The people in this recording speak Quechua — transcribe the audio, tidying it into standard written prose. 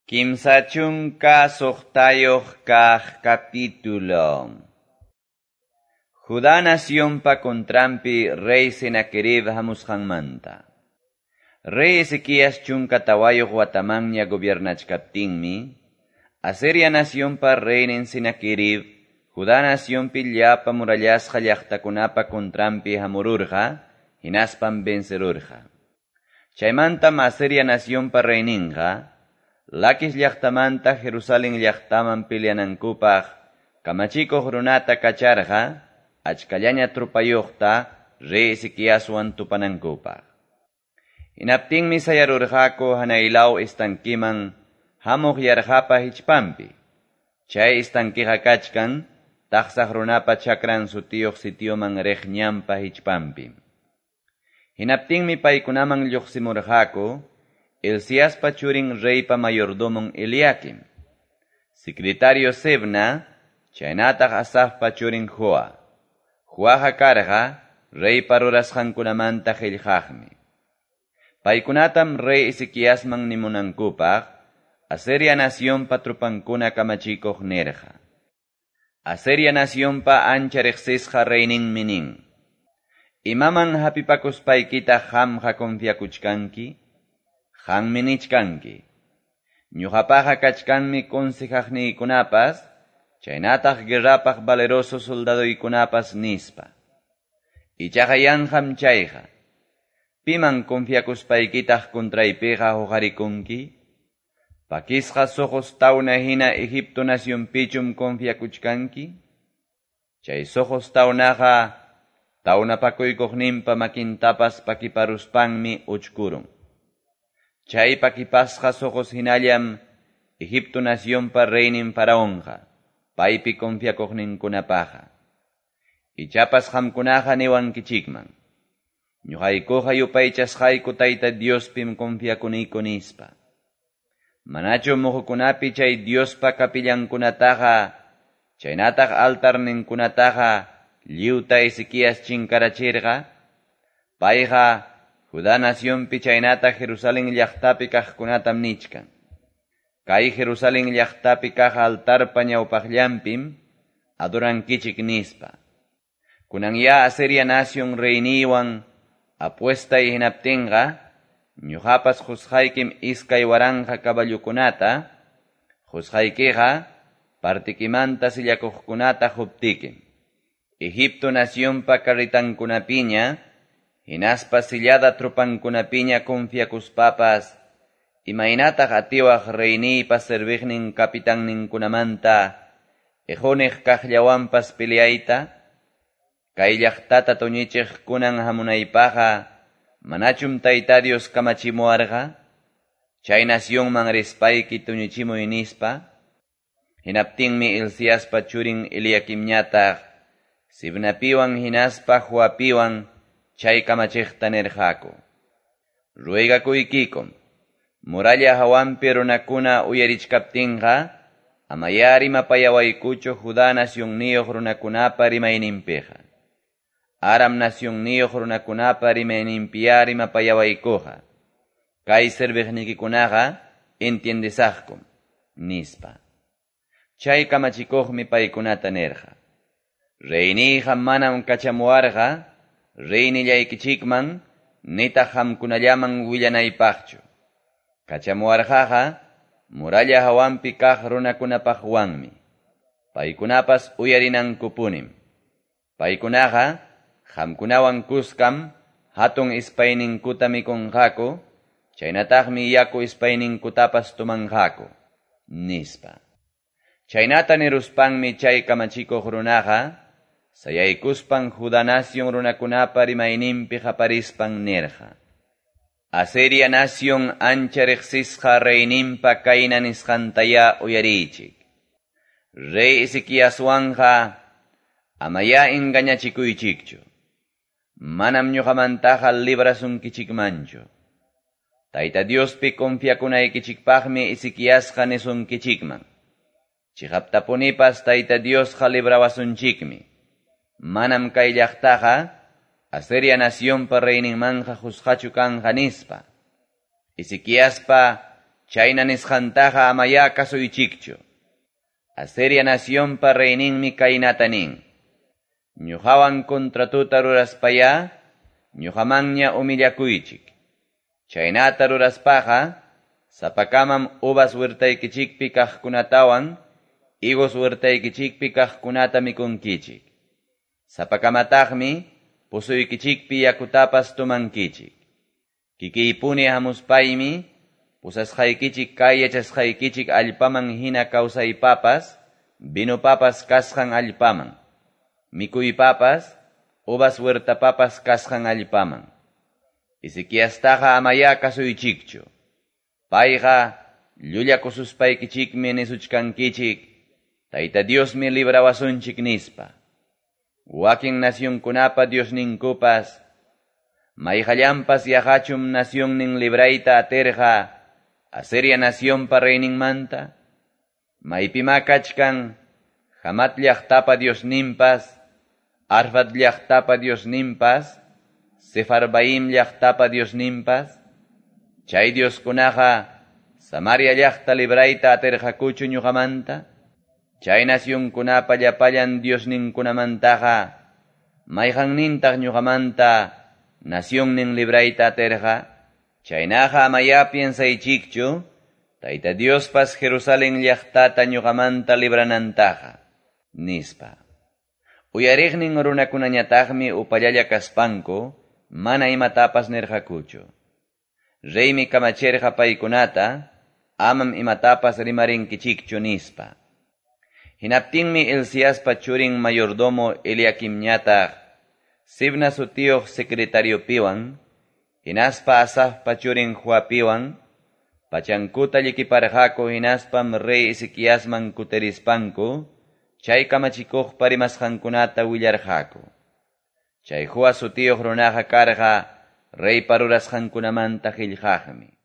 36 kaq capítulo. Judá nacionpa contranpi rey Senaquerib hamusqanmanta. Rey Ezequías 14 watamanña gobiernachkaptinmi, Asiria nacionpa reynin Senaquerib, Judá nacionpi llapa murallasqa llaqtakunapa contranpi hamururqa, hinaspan vencerurqa. Chaymantam Asiria nacionpa reyninqa, Laquis llaqtamanta Jerusalén llaqtaman peleanankupaq kamachikuq runata kacharqa, achkallaña trupayuqta rey Ezequiaswan tupanankupaq. Hinaptinmi sayarurqaku hanaylaw estankiman hamuq yarqapa hichpanpi. Chay estankiqa kachkan taqsaq runapa chakran sutiyuq sitioman riq ñanpa hichpanpi. Hinaptinmi paykunaman lluqsimurqaku Hilciaspa churin reypa mayordomon Eliakim, secretario Sebna, chaynataq Asafpa churin Joa. Joaqa karqa reypa rurasqankunamanta qillqaqmi. Paykunatam rey Ezequiasman nimunankupaq Asiria nacionpa trupankuna kamachikuq nirqa. Asiria nacionpa ancha riqsisqa reyninmi nin: Imaman hapipakuspaykitaq qamqa confiakuchkanki? Qanmi nichkanki. Ñuqapaqa kachkanmi consejaqniykunapas, chaynataq guerrapaq valeroso soldadoykunapas nispa. Ichaqa yanqam chayqa. Piman confiakuspaykitaq contraypiqa huqarikunki? Pakisqa soqos tawna hina Egipto nacionpichum confiakuchkanki? Chay soqos tawnaqa tawnapakuykuqninpa makintapas pakiparuspanmi uchkurun. Chay pakipasqa soqos hinallam Egipto nacionpa reynin faraonqa, paypi confiakuqninkunapaqa. Ichapas qamkunaqa niwankichikman: Ñuqaykuqa yupaychasqayku Tayta Diospim confiakuniku nispa. Manachu muhukunapi chay Diospa kapillankunataqa, chaynataq altarninkunataqa lliwta Ezequías chinkarachirqa? Payqa Judá nacionpi chaynataq Jerusalén llaqtapi kaqkunatam nichkan. Kay Jerusalén llaqtapi kaq altarpa ñawpaqllanpim adorankichik nispa. Kunanya Asiria nacion reyniwan apuestay hinaptinqa, ñuqapas qusqaykim 2000 caballokunata, qusqaykiqa partikimanta sillakuqkunata quptikim. Egipto nacionpa carritankunapiña, hinaspa sillada trupankunapiña confiakuspapas, imaynataq atiwaq reyniypa serviqnin capitanninkunamanta, ejoniq kaqllawanpas peleayta? Kay llaqtata tuñichiq kunan hamunaypaqa, manachum Tayta Dios kamachimuwarqa? Chay nacionman rispayki tuñichimuy nispa? Hinaptinmi Hilciaspa churin Eliakimñataq, Sibnapiwan hinaspa Joapiwan chay kamachiqta nirqaku: Ruegakuykikum, muralla hawanpi runakuna uyarichkaptinqa, amayá rimapayawaykuchu Judá nacionniyuq runakunapa rimayninpiqa. Aram nacionniyuq runakunapa rimayninpiyá rimapayawaykuqa. Kay serviqnikikunaqa entiendesaqkum, nispa. Chay kamachikuqmi paykunata nirqa: Reyniyqa manam kachamuwarqa reynillaykichikman nitaq qamkunallaman willanaypaqchu. Kachamuwarqaqa muralla hawanpi kaq runakunapaqwanmi. Paykunapas uyarinankupunim. Paykunaqa qamkunawan kuskam hatun ispayninkuta mikunqaku, chaynataqmi yaku ispayninkutapas tumanqaku, nispa. Chaynata niruspanmi chay kamachikuq runaqa sayaykuspan Judá nacion runakunapa rimayninpi qaparispan nirqa: Asiria nacion ancha riqsisqa reyninpa kayna nisqantayá uyariychik. Rey Ezequiaswanqa amayá engañachikuychikchu. Manam ñuqamantaqa librasunkichikmanchu. Tayta Diospi confiakunaykichikpaqmi Ezequiasqa nisunkichikman: Chiqaptapunipas Tayta Diosqa librawasunchikmi. Manam kay llaqtaqa Asiria nacionpa reyninmanqa qusqachu kanqa nispa. Ezequiaspa Chayna nisqantaqa amayá kasuychikchu. Asiria nacionpa reyninmi kaynata nin: Ñuqawan contratota ruraspayá, ñuqamanña humillakuychik. Chaynata ruraspaqa, sapakamam uvas huertaykichikpi kaqkunatawan, higos huertaykichikpi kaqkunata mikunkichik. Sapakamataqmi puzuykichikpi yakutapas tomankichik. Kikiypuni hamuspaymi, pusasqaykichik kay yachasqaykichik allpaman hina kawsaypapas, vinopapas kasqan allpaman, mikuypapas, uvas huertapapas kasqan allpaman. Ezequiastaqa amayá kasuychikchu. Payqa llullakususpaykichikmi nisuchkankichik, Tayta Diosmi librawasunchik nispa. Wakin nacionkunapa Diosninkupas, mayqallanpas yaqachum nacionnin librayta atirqa Asiria nacionpa reyninmanta, maypimá kachkan Hamat llaqtapa Diosninpas, Arfad llaqtapa Diosninpas, Sefarvaim llaqtapa Diosninpas, chay Dioskunaqa Samaria llaqta librayta atirqakuchu ñuqamanta, chay nacionkunapa llapallan Diosninkunamantaqa, mayqannintaq ñuqamanta nacionnin librayta atirqa, chaynaqa amayá piensaychikchu, Tayta Diospas Jerusalén llaqtata ñuqamanta libranantaqa, nispa. Uyariqnin runakunañataqmi upallalla kaspanku, mana imatapas nirqakuchu. Reymi kamachirqa paykunata, amam imatapas rimarinkichikchu nispa. Hinaptinmi Hilciaspa churin mayordomo Eliaquimñataq, Sibna sutiyuq secretariopiwan, hinaspa Asafpa churin Joapiwan, pachankuta llikiparqaku hinaspam rey Ezequiasman kutirispanku, chay kamachikuqpa rimasqankunata willarqaku. Chay Joa sutiyuq runaqa karqa reypa rurasqankunamanta qillqaqmi.